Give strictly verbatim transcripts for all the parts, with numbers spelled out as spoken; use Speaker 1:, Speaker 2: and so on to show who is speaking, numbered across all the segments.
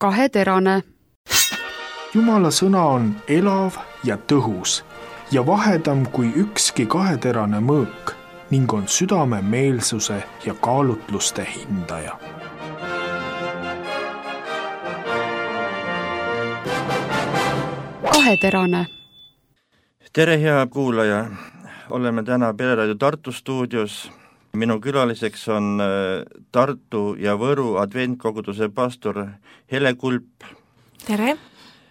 Speaker 1: Kaheterane.
Speaker 2: Jumala sõna on elav ja tõhus ja vahedam kui ükski kaheterane mõõk ning on südame meelsuse ja kaalutluste hindaja.
Speaker 1: Kaheterane.
Speaker 3: Tere, hea kuulaja! Oleme täna Pereraadio Tartu stuudios. Minu külaliseks on Tartu ja Võru adventkoguduse pastor Hele Kulp.
Speaker 4: Tere!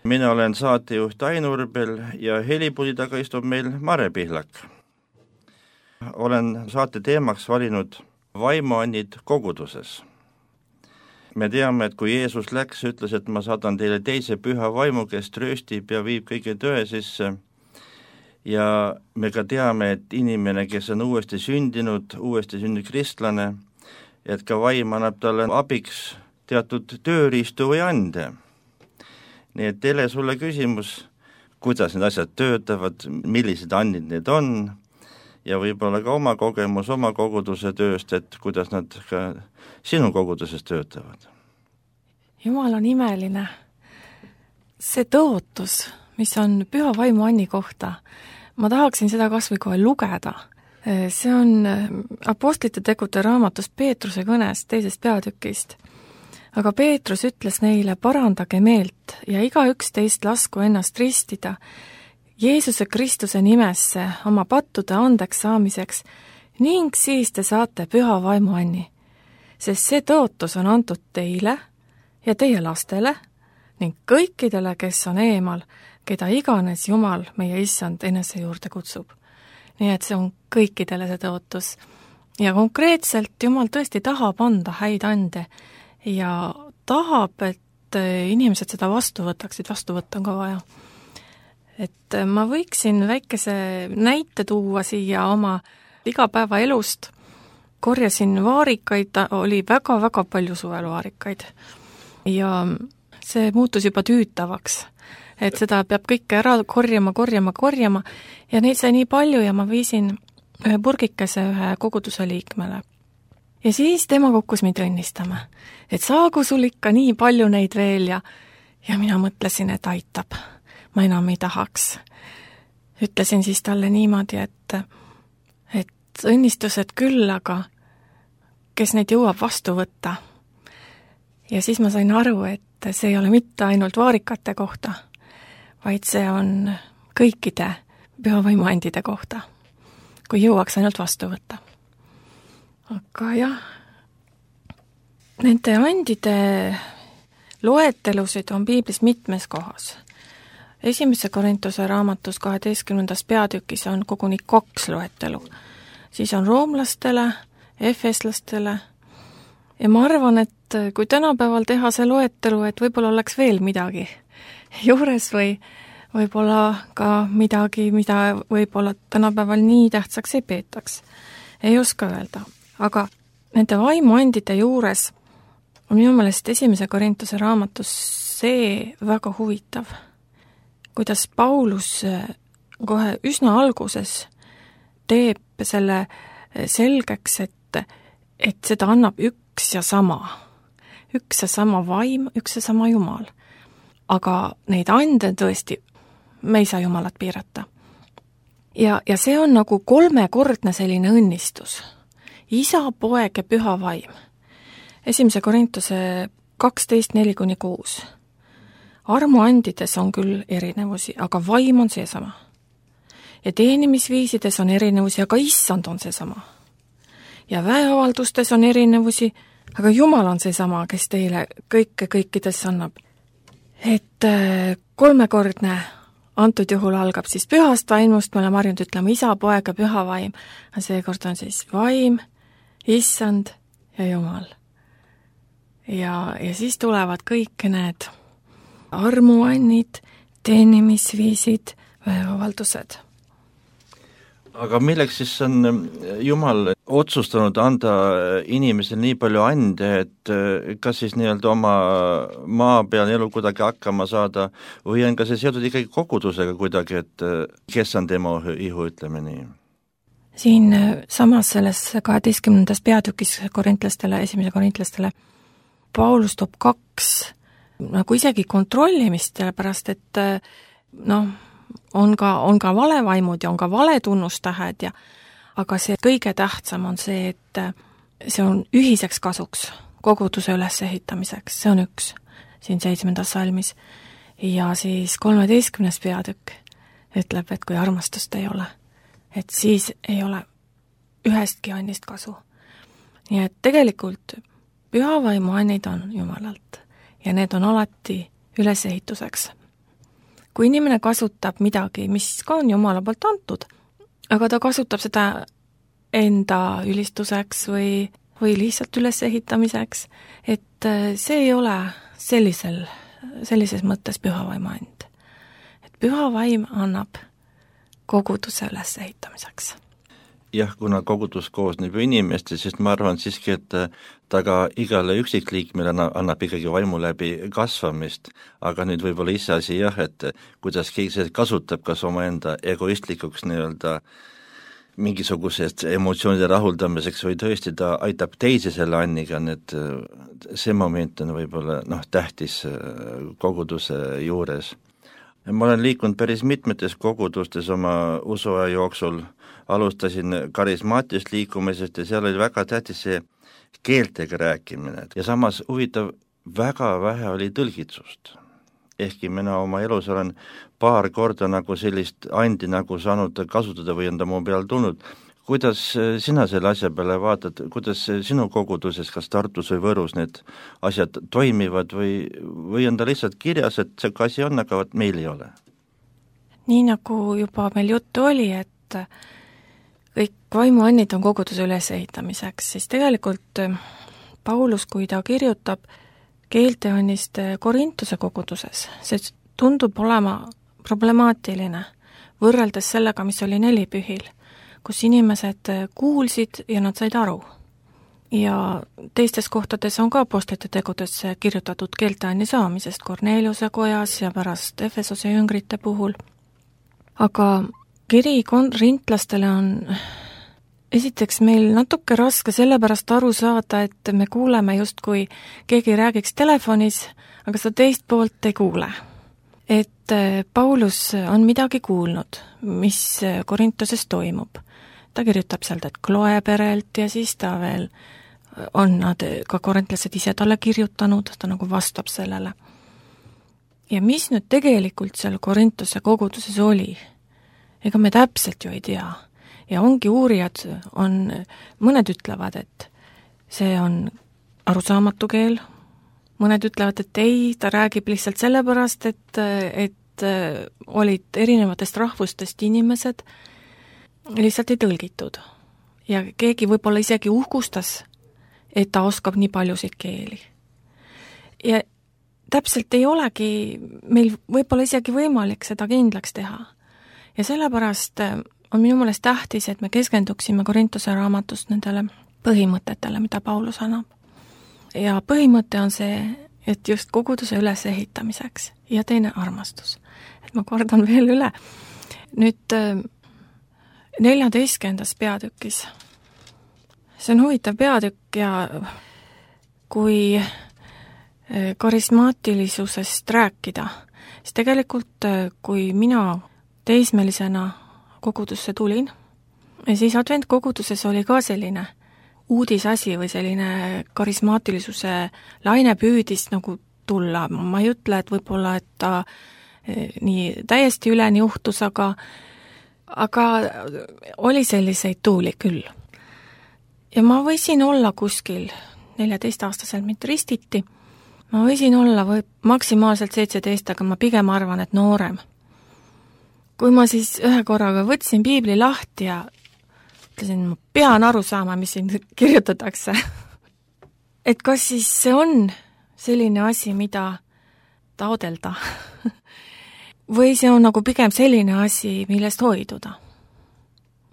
Speaker 3: Mina olen saatejuht Ain Urbel ja helipuldi taga istub meil Mare Pihlak. Olen saate teemaks valinud vaimuannid koguduses. Me teame, et kui Jeesus läks, ütles, et ma saadan teile teise püha vaimu, kes trööstib ja viib kõige tõe sisse. Ja me ka teame, et inimene, kes on uuesti sündinud, uuesti sündinud kristlane, et ka vaim annab talle abiks teatud tööriistu või ande. Nii et teile sulle küsimus, kuidas need asjad töötavad, millised andid need on ja võib-olla ka oma kogemus oma koguduse tööst, et kuidas nad ka sinu koguduses töötavad.
Speaker 4: Jumal on imeline. See tõotus, mis on püha vaimu anni kohta, ma tahaksin seda kas või kohe lugeda. See on apostlite tegude raamatus Peetruse kõnest teisest peatükist. Aga Peetrus ütles neile, parandage meelt ja igaüks teist lasku ennast ristida Jeesuse Kristuse nimesse oma pattude andeks saamiseks ning siis te saate püha vaimu anni. Sest see tõotus on antud teile ja teie lastele ning kõikidele, kes on eemal, keda iganes Jumal meie issand enese juurde kutsub. Nii et see on kõikidele see tõotus. Ja konkreetselt Jumal tõesti tahab anda häid ande ja tahab, et inimesed seda vastu võtaksid, vastu võtta on ka vaja. Et ma võiksin väikese näite tuua siia oma igapäeva elust. Korjasin vaarikaid, oli väga-väga palju suveluvaarikaid ja see muutus juba tüütavaks. Et seda peab kõike ära korjama, korjama, korjama ja neid sai nii palju ja ma viisin ühe purgikese ühe koguduse liikmele. Ja siis tema kukkus mind õnnistama, et saagu sul ikka nii palju neid veel ja, ja mina mõtlesin, et aitab, ma enam ei tahaks. Ütlesin siis talle niimoodi, et, et õnnistused küll, aga kes neid jõuab vastu võtta. Ja siis ma sain aru, et see ei ole mitte ainult vaarikate kohta, vaid see on kõikide püha vaimuandide kohta, kui jõuaks ainult vastu võtta. Aga jah, nende andide loetelusid on piiblis mitmes kohas. Esimese Korintuse raamatus kaheteistkümnendas peatükis on koguni kaks loetelu. Siis on roomlastele, efeslastele ja ma arvan, et kui tänapäeval teha see loetelu, et võib-olla oleks veel midagi juures või võib-olla ka midagi, mida võib-olla tänapäeval nii tähtsaks ei peetaks. Ei oska öelda. Aga nende vaimuandide juures on minu meelest esimese Korintuse raamatus see väga huvitav, kuidas Paulus kohe üsna alguses teeb selle selgeks, et, et seda annab üks ja sama. Üks ja sama vaim, üks ja sama Jumal. Aga neid ande tõesti, me ei saa Jumalat piirata. Ja, ja see on nagu kolmekordne selline õnnistus. Isa, poeg ja püha vaim. Esimese Korintuse kaksteist neli kuni kuus. Armuandides on küll erinevusi, aga vaim on seesama. Ja teenimisviisides on erinevusi, aga issand on seesama. Ja väeavaldustes on erinevusi, aga Jumal on seesama, kes teile kõike kõikides annab. Et kolmekordne antud juhul algab siis pühast vaimust, me oleme harjunud ütlema isa, poeg ja püha vaim. Seekord on siis vaim, issand ja Jumal. Ja, ja siis tulevad kõik need armuannid, teenimisviisid, väeavaldused.
Speaker 3: Aga milleks siis on Jumal otsustanud anda inimesele nii palju ande, et kas siis nii-öelda oma maa peal elu kuidagi hakkama saada või on ka see seotud ikkagi kogudusega kuidagi, et kes on tema ihu, ütleme nii?
Speaker 4: Siin samas selles kaheteistkümnendas peatükis korintlastele, esimese korintlastele, Paulus toob kaks nagu isegi kontrollimist, sellepärast et noh, on ka, on ka valevaimud ja on ka valetunnustähed ja aga see kõige tähtsam on see, et see on ühiseks kasuks, koguduse ülesehitamiseks, see on üks siin seitsmendas salmis. Ja siis kolmeteistkümnes peatükk ütleb, et kui armastust ei ole, et siis ei ole ühestki annist kasu. Nii et tegelikult pühavaimu annid on Jumalalt ja need on alati ülesehituseks. Kui inimene kasutab midagi, mis ka on Jumala poolt antud, aga ta kasutab seda enda ülistuseks või, või lihtsalt ülesehitamiseks, et see ei ole sellisel, sellises mõttes pühavaimu and. Et pühavaim annab koguduse ülesehitamiseks.
Speaker 3: Jah, kuna kogudus koosneb inimeste, siis ma arvan siiski, et ta ka igale üksikliikmele annab ikkagi vaimu läbi kasvamist, aga nüüd võib-olla ise asi jah, et kuidas keegi seda kasutab, kas omaenda egoistlikuks nii-öelda mingisugusest emotsioonide rahuldamiseks või tõesti ta aitab teisi selle anniga, need, see moment on võib-olla noh, tähtis koguduse juures. Ma olen liikunud päris mitmetes kogudustes oma usuaja jooksul, alustasin karismaatist liikumisest ja seal oli väga tähtis see keeltega rääkimine ja samas huvitav, väga vähe oli tõlgitsust. Ehkki mina oma elus olen paar korda nagu sellist andi nagu saanud kasutada või on ta mu peal tulnud. Kuidas sina selle asja peale vaatad, kuidas sinu koguduses, kas Tartus või Võrus need asjad toimivad või, või on ta lihtsalt kirjas, et see asi on, aga meil ei ole?
Speaker 4: Nii nagu juba meil juttu oli, et kõik vaimuannid on koguduse ülesehitamiseks, siis tegelikult Paulus, kui ta kirjutab keelteannist Korintuse koguduses, see tundub olema problemaatiline võrreldes sellega, mis oli nelipühil, kus inimesed kuulsid ja nad said aru. Ja teistes kohtades on ka apostlite tegudes kirjutatud keelteanni saamisest Korneliuse kojas ja pärast Efesose jüngrite puhul. Aga kiri korintlastele on esiteks meil natuke raske sellepärast aru saada, et me kuuleme justkui keegi räägiks telefonis, aga seda teist poolt ei kuule. Et Paulus on midagi kuulnud, mis Korintuses toimub. Ta kirjutab sealt, et Kloe perelt ja siis ta veel on nad ka korintlased ise talle kirjutanud, ta nagu vastab sellele. Ja mis nüüd tegelikult seal Korintuse koguduses oli? Ega me täpselt ju ei tea. Ja ongi uurijad, on, mõned ütlevad, et see on arusaamatu keel, mõned ütlevad, et ei, ta räägib lihtsalt sellepärast, et, et olid erinevatest rahvustest inimesed, lihtsalt ei tõlgitud. Ja keegi võib-olla isegi uhkustas, et ta oskab nii paljusid keeli. Ja täpselt ei olegi meil võib-olla isegi võimalik seda kindlaks teha. Ja sellepärast on minu meelest tähtis, et me keskenduksime Korintuse raamatust nendele põhimõtetele, mida Paulus annab. Ja põhimõte on see, et just koguduse ülesehitamiseks ja teine armastus. Et ma kordan veel üle. Nüüd neljateistkümnendas peatükis. See on huvitav peatükk ja kui karismaatilisusest rääkida, siis tegelikult kui mina teismelisena kogudusse tulin, ja siis adventkoguduses oli ka selline uudisasi või selline karismaatilisuse laine püüdis nagu tulla. Ma ei ütle, et võib-olla, et ta nii täiesti üleni juhtus, aga, aga oli selliseid tuuli küll. Ja ma võisin olla kuskil neljateist-aastaselt mind ristiti, ma võisin olla või maksimaalselt seitseteist, aga ma pigem arvan, et noorem. Kui ma siis ühe korraga võtsin piibli lahti ja ütlesin, ma pean aru saama, mis siin kirjutatakse. Et kas siis see on selline asi, mida taodelda? Või see on nagu pigem selline asi, millest hoiduda?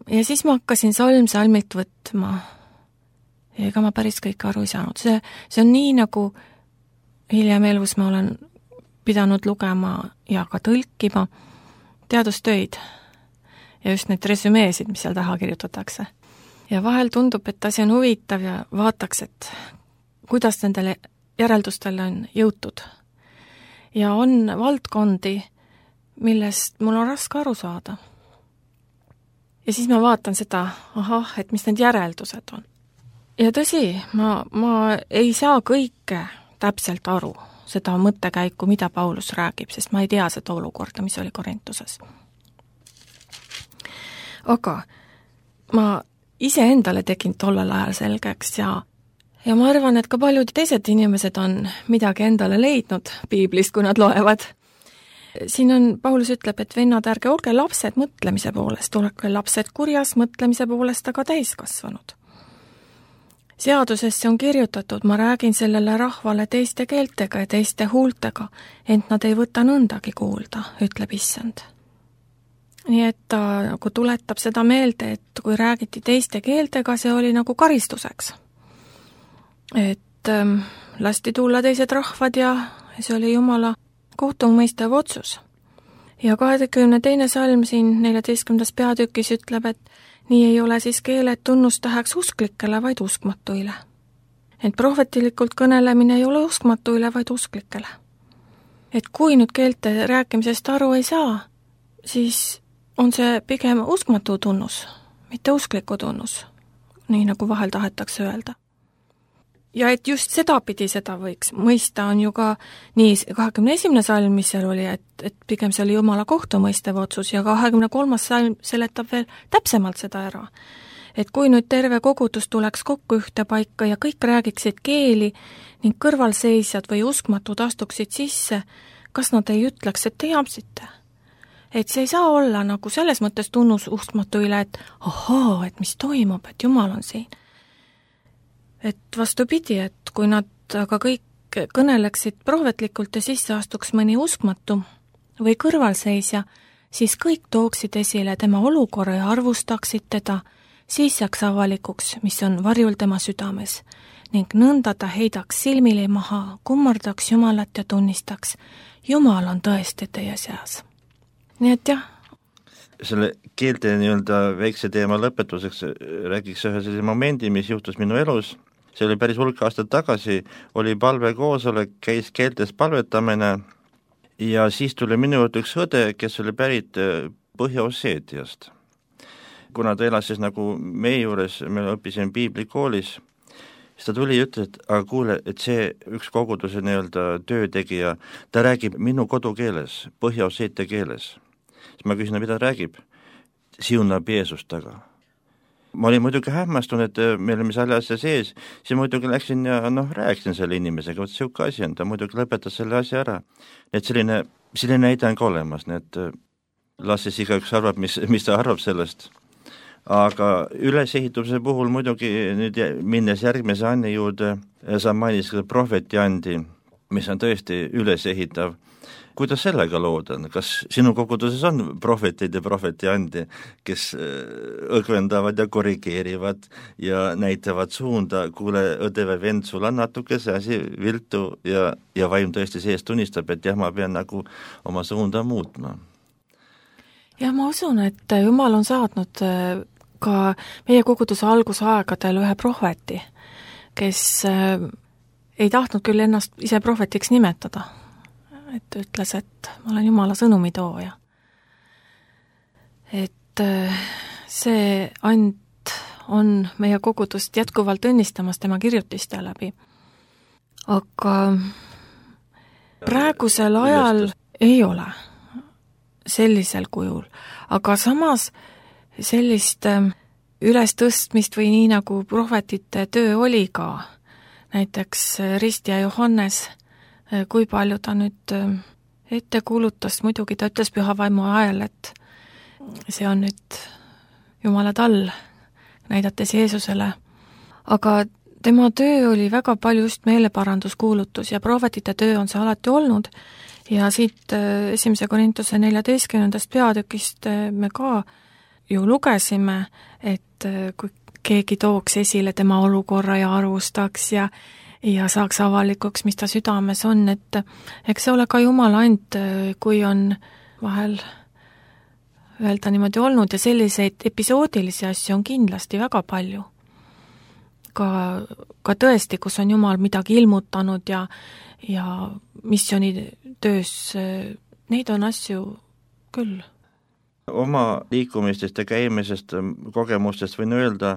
Speaker 4: Ja siis ma hakkasin salm salmilt võtma. Ja ega ma päris kõik aru ei saanud. See, see on nii, nagu hiljem elus ma olen pidanud lugema ja ka tõlkima teadustöid ja just neid resümeesid, mis seal taha kirjutatakse. Ja vahel tundub, et asi on huvitav ja vaataks, et kuidas nendele järeldustele on jõutud. ja on valdkondi, millest mul on raske aru saada. Ja siis ma vaatan seda, ahah, et mis need järeldused on. Ja tõsi, ma, ma ei saa kõike täpselt aru, seda mõttekäiku, mida Paulus räägib, sest ma ei tea seda olukorda, mis oli Korintuses. Aga ma ise endale tegin tollel ajal selgeks ja, ja ma arvan, et ka paljud teised inimesed on midagi endale leidnud piiblist, kui nad loevad. Siin on, Paulus ütleb, et vennad, ärge olge lapsed mõtlemise poolest, olge lapsed kurjas mõtlemise poolest, aga täiskasvanud. Seadusesse on kirjutatud, ma räägin sellele rahvale teiste keeltega ja teiste huultega, ent nad ei võta nõndagi kuulda, ütleb issand. Nii et ta nagu tuletab seda meelde, et kui räägiti teiste keeltega, see oli nagu karistuseks. Et ähm, lasti tulla teised rahvad ja see oli Jumala kohtumõistev otsus. Ja kahekümne teine salm siin neljateistkümnendas peatükis ütleb, et nii ei ole siis keeled tunnustäheks usklikele, vaid uskmatuile. Et prohvetilikult kõnelemine ei ole uskmatuile, vaid usklikele. Et kui nüüd keelte rääkimisest aru ei saa, siis on see pigem uskmatu tunnus, mitte uskliku tunnus, nii nagu vahel tahetakse öelda. Ja et just seda pidi seda võiks mõista on ju ka nii kahekümne esimene salm, mis seal oli, et, et pigem see oli Jumala kohtumõistev otsus ja kahekümne kolmas salm seletab veel täpsemalt seda ära. Et kui nüüd terve kogudus tuleks kokku ühte paika ja kõik räägiksid keeli ning kõrvalseisjad või uskmatud astuksid sisse, kas nad ei ütleks, et te jamsite? Et see ei saa olla nagu selles mõttes tunnus uskmatu üle, et ahaa, et mis toimub, et Jumal on siin. Et vastupidi, et kui nad aga kõik kõneleksid prohvetlikult ja sisse astuks mõni uskmatu või kõrvalseisja, siis kõik tooksid esile tema olukorra ja arvustaksid teda, siis jääks avalikuks, mis on varjul tema südames, ning nõnda ta heidaks silmili maha, kummardaks Jumalat ja tunnistaks, Jumal on tõesti teie seas. Nii et jah.
Speaker 3: Selle keelte nii-öelda väikse teema lõpetuseks räägiks ühe sellise momendi, mis juhtus minu elus. See oli päris hulk aastat tagasi, oli palvekoosolek, käis keeltes palvetamine ja siis tuli minu juurde üks õde, kes oli pärit Põhja-Osseetiast. Kuna ta elas siis nagu meie juures, me õppisime piiblikoolis, siis ta tuli ja ütles, et aga kuule, et see üks koguduse nii-öelda töötegija, ta räägib minu kodukeeles, Põhja-Osseetia keeles. Siis ma küsin, mida ta räägib? Siunab Jeesust taga. Ma olin muidugi hämmastunud, et me olime selle asja sees, siis muidugi läksin ja noh, rääksin selle inimesega, võt siuke asi on, ta muidugi lõpetas selle asja ära. Et selline, selline näide on ka olemas, nii et las siis igaüks arvab, mis, mis ta arvab sellest. Aga ülesehituse puhul muidugi nüüd minnes järgmise Anni juurde, sa mainis ka prohveti Andi, mis on tõesti ülesehitav. Kuidas sellega lood on? Kas sinu koguduses on prohvetid ja prohveti Andi, kes õgvendavad ja korrigeerivad ja näitavad suunda, kuule, õde või vend, sul on natuke see asi viltu ja, ja vaim tõesti sees tunnistab, et jah, ma pean nagu oma suunda muutma?
Speaker 4: Ja ma usun, et Jumal on saatnud ka meie koguduse algusaegadel ühe prohveti, kes ei tahtnud küll ennast ise prohvetiks nimetada, et ütles, et ma olen Jumala sõnumitooja. Et see and on meie kogudust jätkuvalt õnnistamas tema kirjutiste läbi. Aga praegusel ajal ei ole sellisel kujul, aga samas sellist ülestõstmist või nii nagu prohvetite töö oli ka, näiteks Rist ja Johannes, kui palju ta nüüd ette kuulutas, muidugi ta ütles pühavaimu ajal, et see on nüüd Jumala tall, näidates Jeesusele. Aga tema töö oli väga palju just meeleparanduskuulutus ja prohvetite töö on see alati olnud ja siit esimese Korintuse neljateistkümnendast peatükist me ka ju lugesime, et kui keegi tooks esile tema olukorra ja arvustaks ja ja saaks avalikuks, mis ta südames on, et eks see ole ka Jumala and, kui on vahel öelda niimoodi olnud ja selliseid episoodilisi asju on kindlasti väga palju. Ka, ka tõesti, kus on Jumal midagi ilmutanud ja, ja missiooni töös, neid on asju küll.
Speaker 3: Oma liikumistest ja käimisest, kogemustest võin öelda,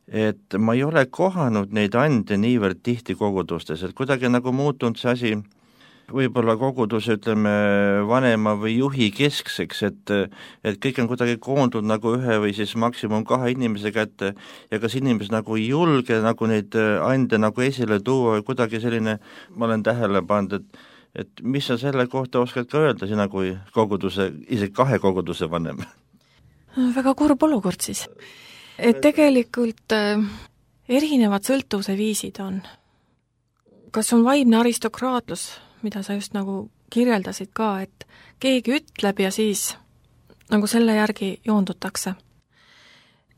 Speaker 3: et ma ei ole kohanud neid ande niivõrd tihti kogudustes, et kuidagi nagu muutunud see asi võib-olla koguduse, ütleme, vanema või juhi keskseks, et, et kõik on kuidagi koondunud nagu ühe või siis maksimum kahe inimese kätte ja kas inimesed nagu ei julge nagu neid ande nagu esile tuua või kuidagi selline, ma olen tähele pannud, et et mis sa selle kohta oskad ka öelda, sina kui koguduse, isegi kahe koguduse vanem?
Speaker 4: Väga kurb olukord siis. Et tegelikult äh, erinevad sõltuvuse viisid on. Kas on vaimne aristokraatlus, mida sa just nagu kirjeldasid ka, et keegi ütleb ja siis nagu selle järgi joondutakse.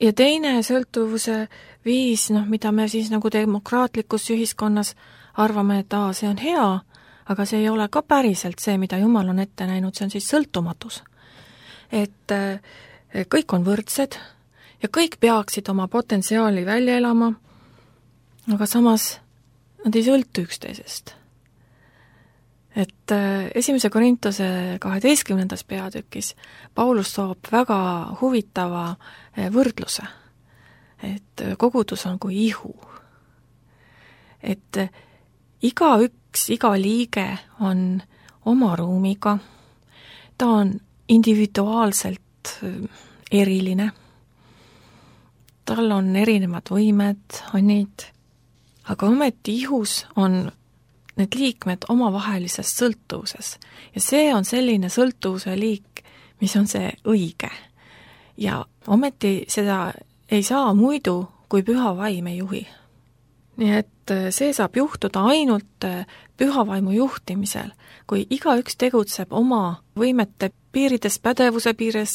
Speaker 4: Ja teine sõltuvuse viis, noh, mida me siis nagu demokraatlikus ühiskonnas arvame, et aa, see on hea, aga see ei ole ka päriselt see, mida Jumal on ette näinud, see on siis sõltumatus. Et kõik on võrdsed ja kõik peaksid oma potentsiaali välja elama, aga samas nad ei sõltu üksteisest. Et esimese Korintuse kaheteistkümnendas peatükis Paulus toob väga huvitava võrdluse, et kogudus on kui ihu. Et iga üks, iga liige on oma ruumiga, ta on individuaalselt eriline, tal on erinevad võimed, annid, aga ometi ihus on need liikmed omavahelises sõltuvuses ja see on selline sõltuvuse liik, mis on see õige. Ja ometi seda ei saa muidu, kui püha vaim ei juhi. Nii et see saab juhtuda ainult püha vaimu juhtimisel, kui igaüks tegutseb oma võimete piirides, pädevuse piires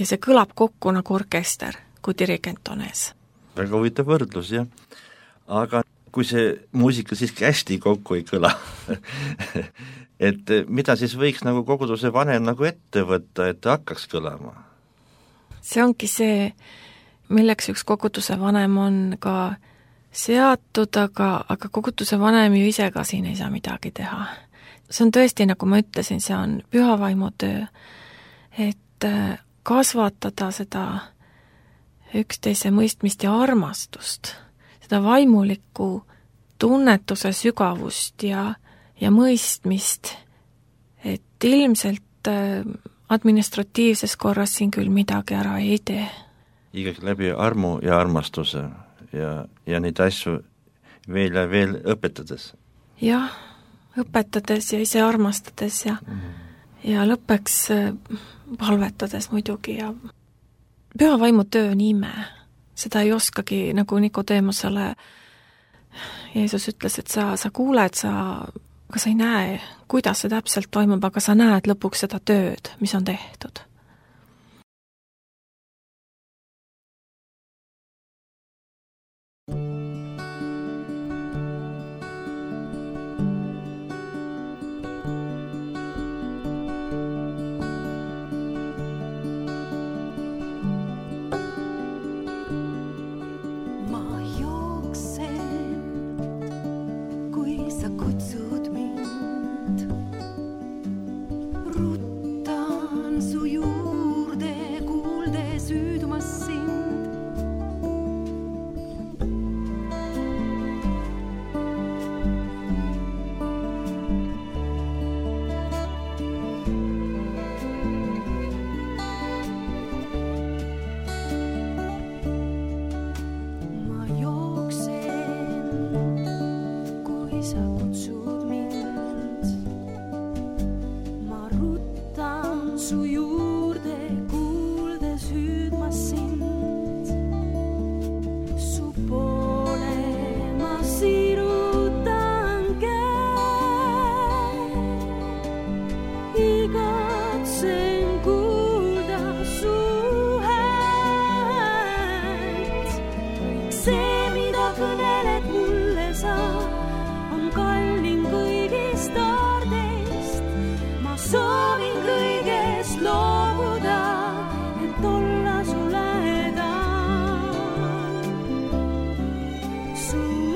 Speaker 4: ja see kõlab kokku nagu orkester, kui dirigent on ees.
Speaker 3: Väga huvitav võrdlus, jah. Aga kui see muusika siiski hästi kokku ei kõla, et mida siis võiks nagu koguduse vanem nagu ette võtta, et hakkaks kõlama?
Speaker 4: See ongi see, milleks üks koguduse vanem on ka seatud, aga, aga koguduse vanem ju ise ka siin ei saa midagi teha. See on tõesti, nagu ma ütlesin, see on püha vaimu töö, et kasvatada seda üksteise mõistmist ja armastust, seda vaimulikku tunnetuse sügavust ja, ja mõistmist, et ilmselt administratiivses korras siin küll midagi ära ei tee.
Speaker 3: Ikkagi läbi armu ja armastuse ja, ja neid asju veel ja veel õpetades.
Speaker 4: Jah, õpetades ja ise armastades ja, mm. ja lõppeks palvetades muidugi ja püha vaimu töö nime. Seda ei oskagi, nagu Nikodeemosele Jeesus ütles, et sa, sa kuuled, sa, aga sa ei näe, kuidas see täpselt toimub, aga sa näed lõpuks seda tööd, mis on tehtud.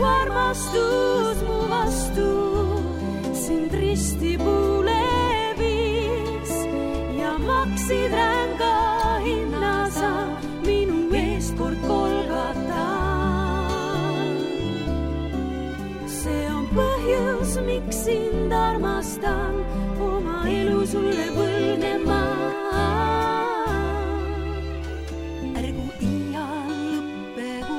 Speaker 1: Armastus mu vastu sind risti puule maksid ränga hinna sa minu eest kord Golgata. See on põhjus, miks sind armastan, oma elu sulle võlgnema. Ärgu iial lõppegu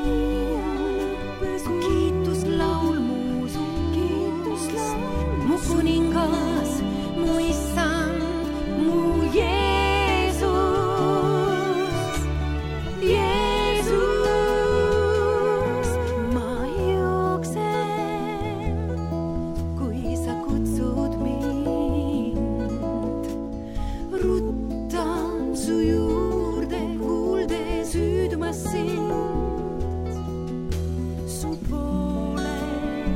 Speaker 1: su kiituslaul mu suust, mu kuningas, mu issand, mu Jeesus, Jeesus. Ma jooksen, kui sa kutsud mind, ruttan su juurde, kuuldes hüüdmas sind, su poole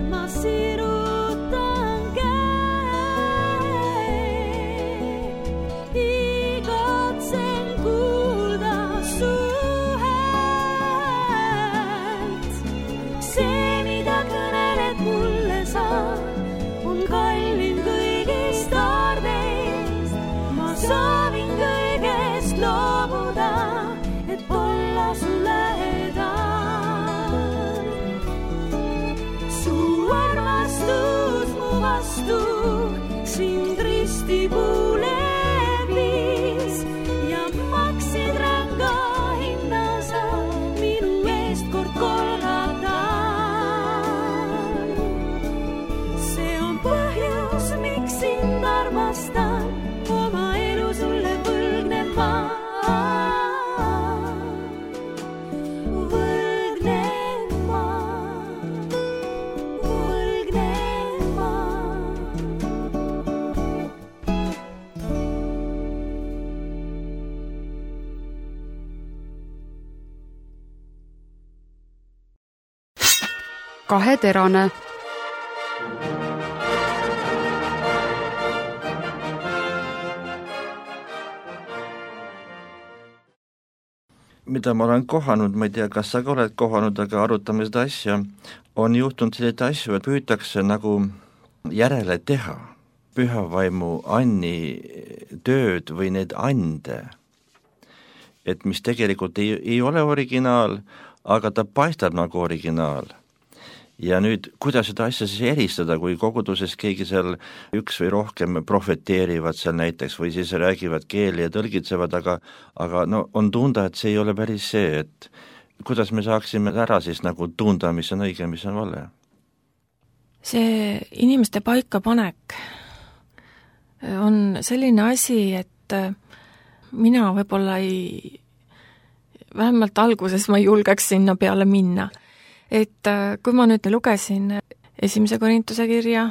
Speaker 1: ma sirutan käe, igatsen kuulda su häält. See, mida kõneled mulle sa, on kallim kõigist aardeist. Ma soovin kõigest loobuda, et olla su lähedal. Su armastus mu vastu sind ristipuule viis ja maksid ränga hinna sa minu eest kord Golgata. See on põhjus, miks sind armastan, oma elu sulle võlgnema. Võlgnema, võlgnema.
Speaker 5: Kaheterane.
Speaker 3: mida ma olen kohanud, ma ei tea, kas sa ka oled kohanud, aga arutame seda asja, on juhtunud selliseid asju, et püütakse nagu järele teha pühavaimu anni tööd või need ande, et mis tegelikult ei, ei ole originaal, aga ta paistab nagu originaal. Ja nüüd, kuidas seda asja siis eristada, kui koguduses keegi seal üks või rohkem profeteerivad seal näiteks või siis räägivad keeli ja tõlgitsevad, aga, aga no on tunda, et see ei ole päris see, et kuidas me saaksime ära siis nagu tunda, mis on õige, mis on vale?
Speaker 4: See inimeste paikapanek on selline asi, et mina võib-olla ei, vähemalt alguses ma ei julgeks sinna peale minna. Et kui ma nüüd lugesin esimese Korintuse kirja,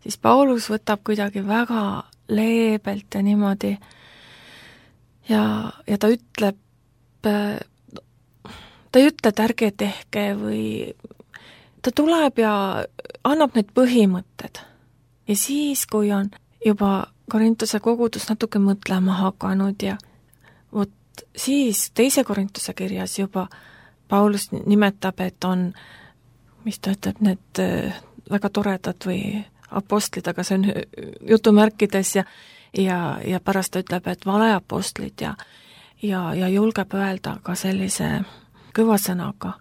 Speaker 4: siis Paulus võtab kuidagi väga leebelt ja niimoodi ja, ja ta ütleb, ta ei ütle, et ärge tehke või ta tuleb ja annab need põhimõtted. Ja siis, kui on juba Korintuse kogudus natuke mõtlema hakanud ja vot siis teise Korintuse kirjas juba Paulus nimetab, et on, mis ta ütleb, need väga toredad või apostlid, aga see on jutumärkides ja, ja, ja pärast ta ütleb, et valeapostlid ja, ja, ja julgeb öelda ka sellise kõva sõnaga.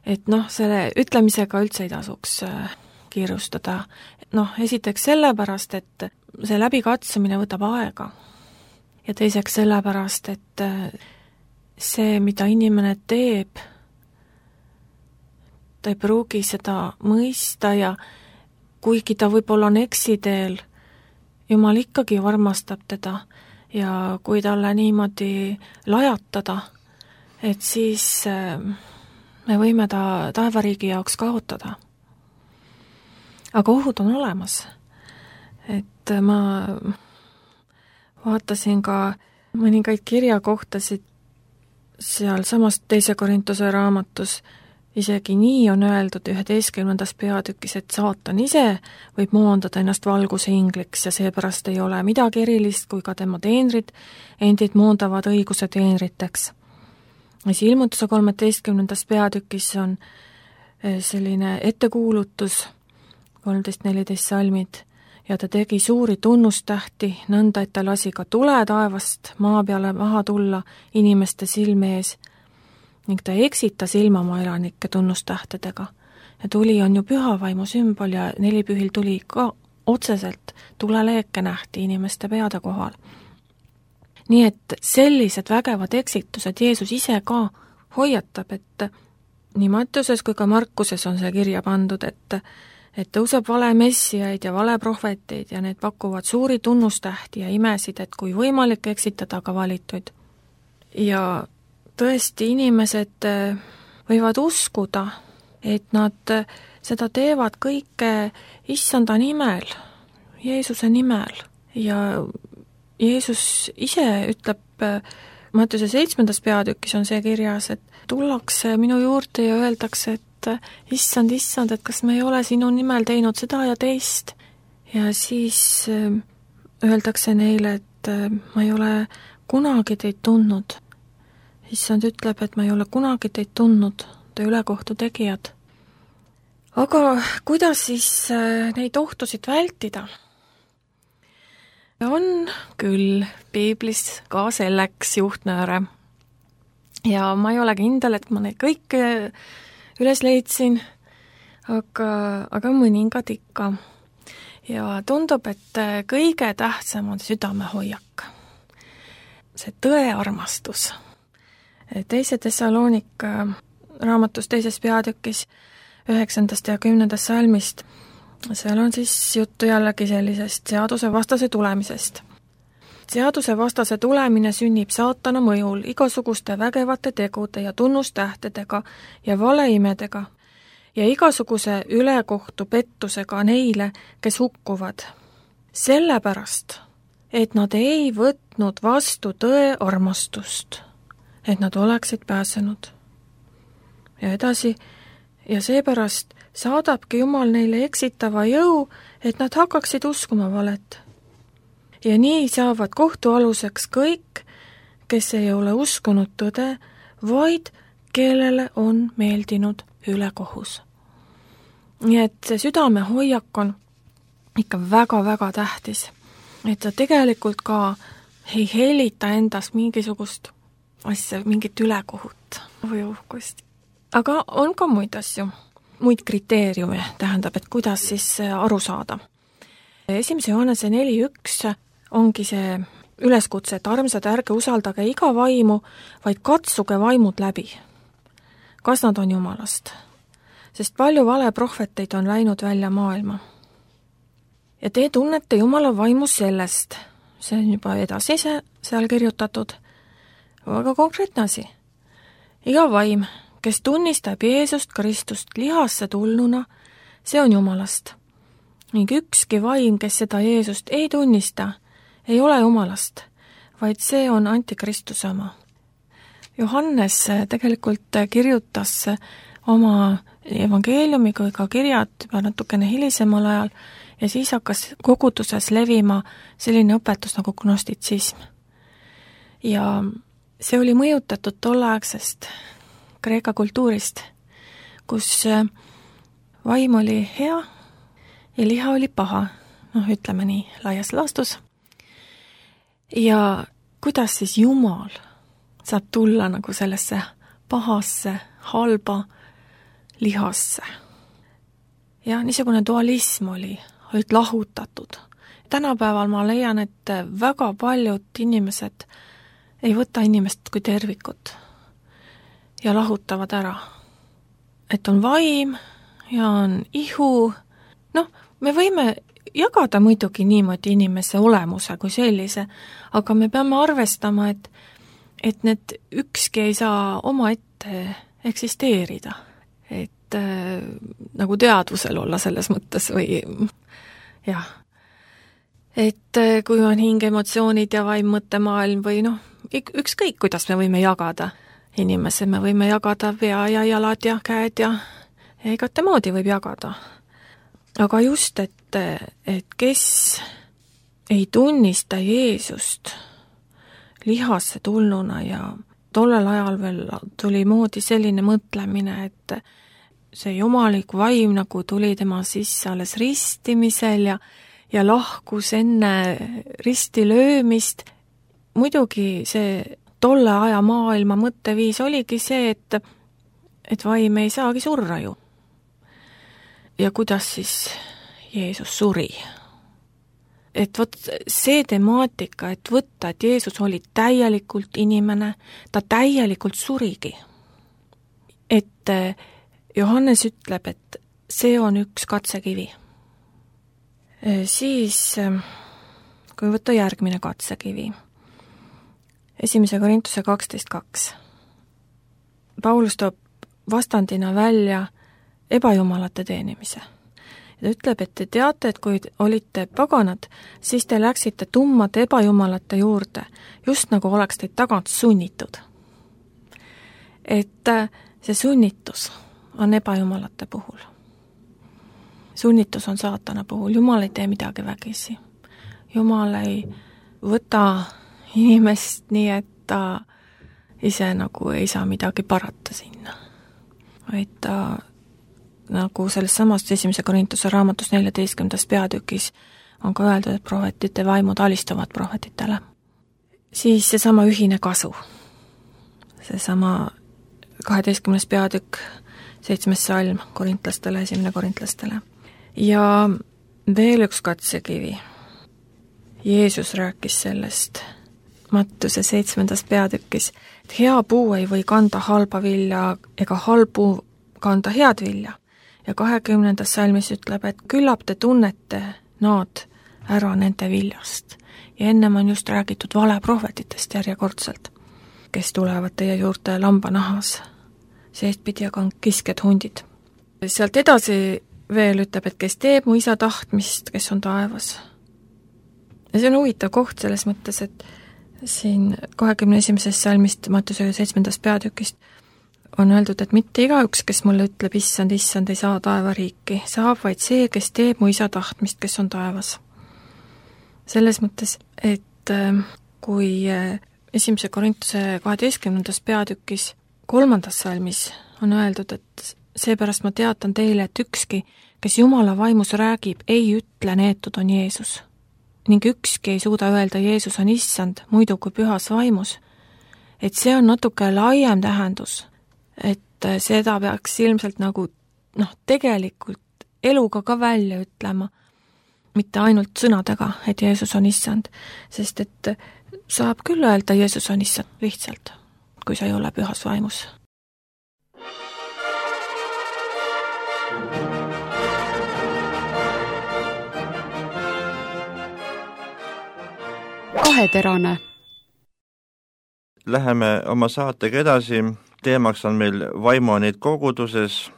Speaker 4: Et noh, selle ütlemisega üldse ei tasuks kiirustada. Noh, esiteks sellepärast, et see läbikatsumine võtab aega. Ja teiseks sellepärast, et see, mida inimene teeb, ta ei pruugi seda mõista ja kuigi ta võib-olla on eksiteel, Jumal ikkagi armastab teda ja kui talle niimoodi lajatada, et siis me võime ta taevariigi jaoks kaotada. Aga ohud on olemas. Et ma vaatasin ka mõningaid kirjakohtasid seal samas teise Korintuse raamatus, isegi nii on öeldud üheteistkümnendas peatükis, et saatan ise võib moondada ennast valguse ingliks ja seepärast ei ole midagi erilist, kui ka tema teenrid endid moondavad õiguse teenriteks. Siis ilmutuse kolmeteistkümnendas peatükis on selline ettekuulutus, kolmteist neliteist salmid, ja ta tegi suuri tunnustähti, nõnda, et ta lasi ka tule taevast maa peale maha tulla inimeste silme ees ning ta eksitas ilmamaa elanikke tunnustähtedega. Ja tuli on ju pühavaimu sümbol ja nelipühil tuli ka otseselt tuleleeke nähti inimeste peade kohal. Nii et sellised vägevad eksitused Jeesus ise ka hoiatab, et nii Mattiuses kui ka Markuses on see kirja pandud, et et tõuseb vale messiaid ja vale prohveteid ja need pakuvad suuri tunnustähti ja imesid, et kui võimalik eksitada ka valituid. Ja tõesti inimesed võivad uskuda, et nad seda teevad kõike issanda nimel, Jeesuse nimel ja Jeesus ise ütleb Mattiuse seitsmendas peatükis on see kirjas, et tullakse minu juurde ja öeldakse, et issand, issand, et kas me ei ole sinu nimel teinud seda ja teist. Ja siis öeldakse neile, et ma ei ole kunagi teid tundnud. Issand ütleb, et ma ei ole kunagi teid tundnud, te ülekohtu tegijad. Aga kuidas siis neid ohtusid vältida? On küll piiblis ka selleks juhtnööre. Ja ma ei ole kindel, et ma neid kõike üles leidsin, aga, aga mõningad ikka. Ja tundub, et kõige tähtsam on südamehoiak. See tõearmastus. Teise Tessaloonika raamatus teises peatükis üheksandast ja kümnendast salmist seal on siis juttu jällegi sellisest seaduse vastase tulemisest. Seaduse vastase tulemine sünnib saatana mõjul igasuguste vägevate tegude ja tunnustähtedega ja valeimedega ja igasuguse ülekohtu pettusega neile, kes hukkuvad. Sellepärast, et nad ei võtnud vastu tõe armastust, et nad oleksid pääsenud. Ja edasi, ja seepärast saadabki Jumal neile eksitava jõu, et nad hakkaksid uskuma valet. Ja nii saavad kohtualuseks kõik, kes ei ole uskunud tõde, vaid kellele on meeldinud ülekohus. Nii et see südamehoiak on ikka väga-väga tähtis, et ta tegelikult ka ei helita endast mingisugust asja, mingit ülekohut või uhkust. Aga on ka muid asju, muid kriteeriume, tähendab, et kuidas siis aru saada. Esimese Johannese neli üks ongi see üleskutse, et armsad, ärge usaldage iga vaimu, vaid katsuge vaimud läbi. Kas nad on Jumalast? Sest palju valeprohveteid on läinud välja maailma. Ja te tunnete Jumala vaimu sellest, see on juba edasi seal kirjutatud, aga konkreetne asi. Iga vaim, kes tunnistab Jeesust Kristust lihasse tulnuna, see on Jumalast. Ning ükski vaim, kes seda Jeesust ei tunnista, ei ole Jumalast, vaid see on antikristuse oma. Johannes tegelikult kirjutas oma evangeeliumi kui ka kirjad juba natukene hilisemal ajal ja siis hakkas koguduses levima selline õpetus nagu gnostitsism. Ja see oli mõjutatud tolleaegsest Kreeka kultuurist, kus vaim oli hea ja liha oli paha, noh ütleme nii laias laastus. Ja kuidas siis Jumal saab tulla nagu sellesse pahasse, halba lihasse. Ja niisugune dualism oli, olid lahutatud. Tänapäeval ma leian, et väga paljud inimesed ei võta inimest kui tervikut ja lahutavad ära. Et on vaim ja on ihu. Noh, me võime jagada muidugi niimoodi inimese olemuse kui sellise, aga me peame arvestama, et, et need ükski ei saa oma ette eksisteerida. Et äh, nagu teadvusel olla selles mõttes või jah. Et äh, kui on hing, emotsioonid ja vaim, mõttemaailm või noh, ükskõik, kuidas me võime jagada inimese, me võime jagada pea ja jalad ja käed ja, ja igate moodi võib jagada. Aga just, et, et kes ei tunnista Jeesust lihasse tulnuna ja tollel ajal veel tuli moodi selline mõtlemine, et see jumalik vaim nagu tuli tema sisse alles ristimisel ja, ja lahkus enne risti löömist. Muidugi see tolle aja maailma mõtteviis oligi see, et, et vaim ei saagi surra ju. Ja kuidas siis Jeesus suri? Et vot see temaatika, et võtta, et Jeesus oli täielikult inimene, ta täielikult surigi. Et Johannes ütleb, et see on üks katsekivi. Siis, kui võtta järgmine katsekivi, esimese Korintuse kaksteist kaks. Paulus toob vastandina välja ebajumalate teenimise. Ta ütleb, et te teate, et kui olite paganad, siis te läksite tummade ebajumalate juurde, just nagu oleks teid tagant sunnitud. Et see sunnitus on ebajumalate puhul. Sunnitus on saatana puhul. Jumal ei tee midagi vägisi. Jumal ei võta inimest nii, et ta ise nagu ei saa midagi parata sinna. Vaid ta nagu selles samast esimese Korintuse raamatus neljateistkümnendas peatükis on ka öeldud, et prohvetite vaimud alistuvad prohvetitele. Siis seesama ühine kasu. Seesama kaheteistkümnes peatükk, seitsmes salm korintlastele, esimene korintlastele. Ja veel üks katsekivi. Jeesus rääkis sellest Mattuse seitsmendas peatükis, et hea puu ei või kanda halba vilja ega halb puu kanda head vilja. Ja kahekümnendas salmis ütleb, et küllap te tunnete nad ära nende viljast. Ja ennem on just räägitud valeprohvetitest järjekordselt, kes tulevad teie juurde lambanahas, seestpidi aga on kisked hundid. Sealt edasi veel ütleb, et kes teeb mu isa tahtmist, kes on taevas. Ja see on huvitav koht selles mõttes, et siin kahekümne esimesest salmist Mattuse seitsmendast peatükist on öeldud, et mitte igaüks, kes mulle ütleb, issand, issand, ei saa taevariiki, saab vaid see, kes teeb mu isa tahtmist, kes on taevas. Selles mõttes, et kui esimese Korintuse kaheteistkümnendas peatükis kolmandas salmis on öeldud, et seepärast ma teatan teile, et ükski, kes Jumala vaimus räägib, ei ütle neetud on Jeesus. Ning ükski ei suuda öelda Jeesus on issand, muidu kui pühas vaimus. Et see on natuke laiem tähendus, et seda peaks ilmselt nagu noh, tegelikult eluga ka välja ütlema, mitte ainult sõnadega, et Jeesus on issand, sest et saab küll öelda Jeesus on issand lihtsalt, kui sa ei ole pühas vaimus.
Speaker 5: Kaheterane.
Speaker 3: Läheme oma saatega edasi. Teemaks on meil vaimuanid koguduses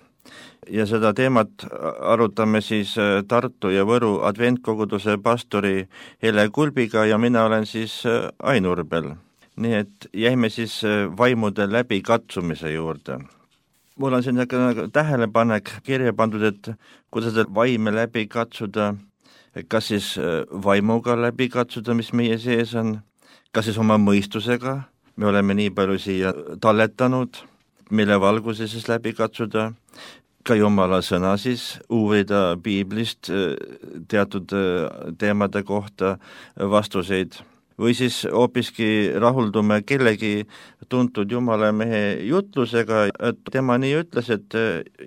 Speaker 3: ja seda teemat arutame siis Tartu ja Võru adventkoguduse pastori Hele Kulbiga ja mina olen siis Ain Urbel. Nii et jäime siis vaimude läbi katsumise juurde. Mul on siin tähelepanek kirja pandud, et kuidas vaime läbi katsuda, kas siis vaimuga läbi katsuda, mis meie sees on, kas siis oma mõistusega, me oleme nii palju siia talletanud, mille valguse siis läbi katsuda, ka Jumala sõna siis uurida piiblist teatud teemade kohta vastuseid, või siis hoopiski rahuldume kellegi tuntud Jumala mehe jutlusega, et tema nii ütles, et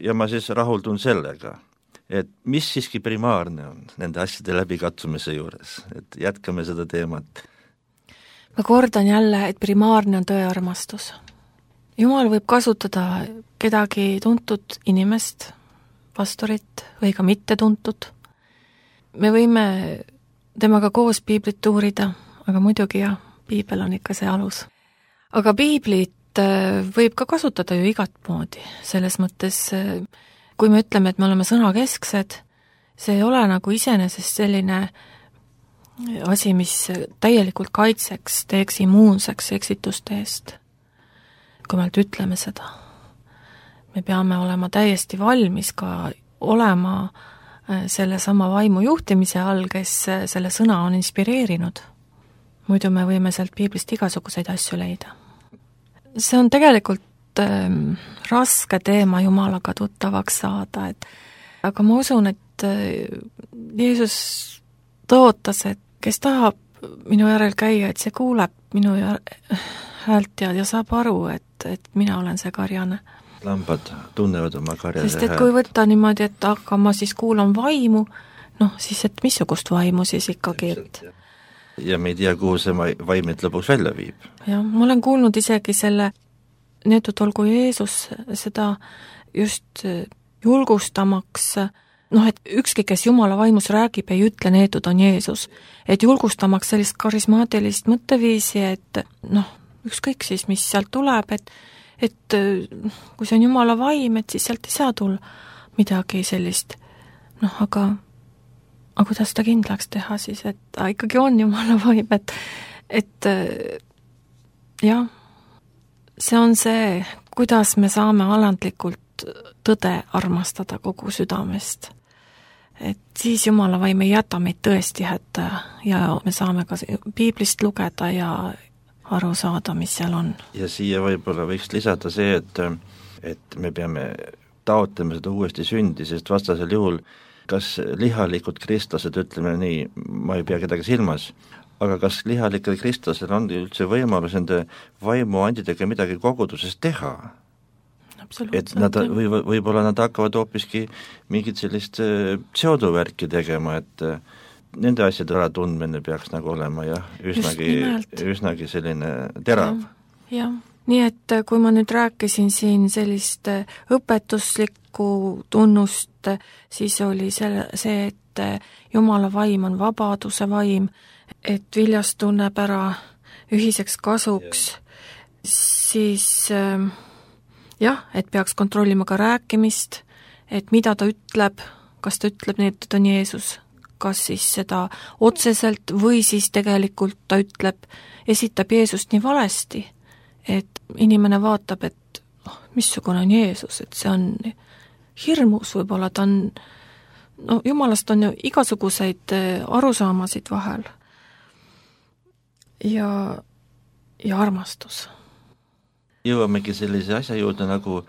Speaker 3: ja ma siis rahuldun sellega. Et mis siiski primaarne on nende asjade läbikatsumise juures, et jätkame seda teemat.
Speaker 4: Ma kordan jälle, et primaarne on tõearmastus. Jumal võib kasutada kedagi tuntud inimest, pastorit või ka mitte tuntud. Me võime temaga koos piiblit uurida, aga muidugi jah, piibel on ikka see alus. Aga piiblit võib ka kasutada ju igat moodi, selles mõttes kui me ütleme, et me oleme sõnakesksed, see ei ole nagu iseenesest selline asi, mis täielikult kaitseks, teeks immuunseks eksituste eest. Kui me ütleme seda, me peame olema täiesti valmis ka olema selle sama vaimu juhtimise all, kes selle sõna on inspireerinud. Muidu me võime sealt piiblist igasuguseid asju leida. See on tegelikult ähm, raske teema Jumalaga tuttavaks saada, et aga ma usun, et Jeesus ta ootas, et kes tahab minu järel käia, et see kuuleb minu häält ja, ja saab aru, et, et mina olen see karjane.
Speaker 3: Lambad tunnevad oma karjase
Speaker 4: sest et kui võtta niimoodi, et aga ma siis kuulan vaimu, noh siis, et missugust vaimu siis ikkagi, et
Speaker 3: ja me ei tea, kuhu see vaim et lõpuks välja viib.
Speaker 4: jah, ma olen kuulnud isegi selle neetud olgu Jeesus seda just julgustamaks, noh, et ükski, kes Jumala vaimus räägib, ei ütle, neetud on Jeesus. Et julgustamaks sellist karismaatilist mõtteviisi, et noh, ükskõik siis, mis sealt tuleb, et, et kui see on Jumala vaim, et siis sealt ei saa tulla midagi sellist. Noh, aga, aga kuidas ta kindlaks teha siis, et ta ikkagi on Jumala vaim, et, et jah, see on see, kuidas me saame alandlikult tõde armastada kogu südamest. Et siis Jumala vaim ei jäta meid tõesti hätta ja me saame ka piiblist lugeda ja aru saada, mis seal on.
Speaker 3: Ja siia võib-olla võiks lisada see, et, et me peame taotlema seda uuesti sündi, sest vastasel juhul kas lihalikud kristlased, ütleme nii, ma ei pea kedagi silmas, aga kas lihalikel kristlasel on üldse võimalus nende vaimuandidega midagi koguduses teha? Et nad, või, võib-olla nad hakkavad hoopiski mingit sellist pseudovärki tegema, et nende asjade ära tundmine peaks nagu olema jah, üsnagi, üsnagi selline terav.
Speaker 4: Ja, ja. Nii et kui ma nüüd rääkisin siin sellist õpetuslikku tunnust, siis oli selle, see, et Jumala vaim on vabaduse vaim, et viljas tunneb ära ühiseks kasuks, siis jah, et peaks kontrollima ka rääkimist, et mida ta ütleb, kas ta ütleb nii, et ta on Jeesus, kas siis seda otseselt või siis tegelikult ta ütleb, esitab Jeesust nii valesti, et inimene vaatab, et oh, missugune on Jeesus, et see on hirmus, võib-olla ta on, no Jumalast on ju igasuguseid arusaamasid vahel ja, ja armastus.
Speaker 3: Jõuamegi sellise asja juurde nagu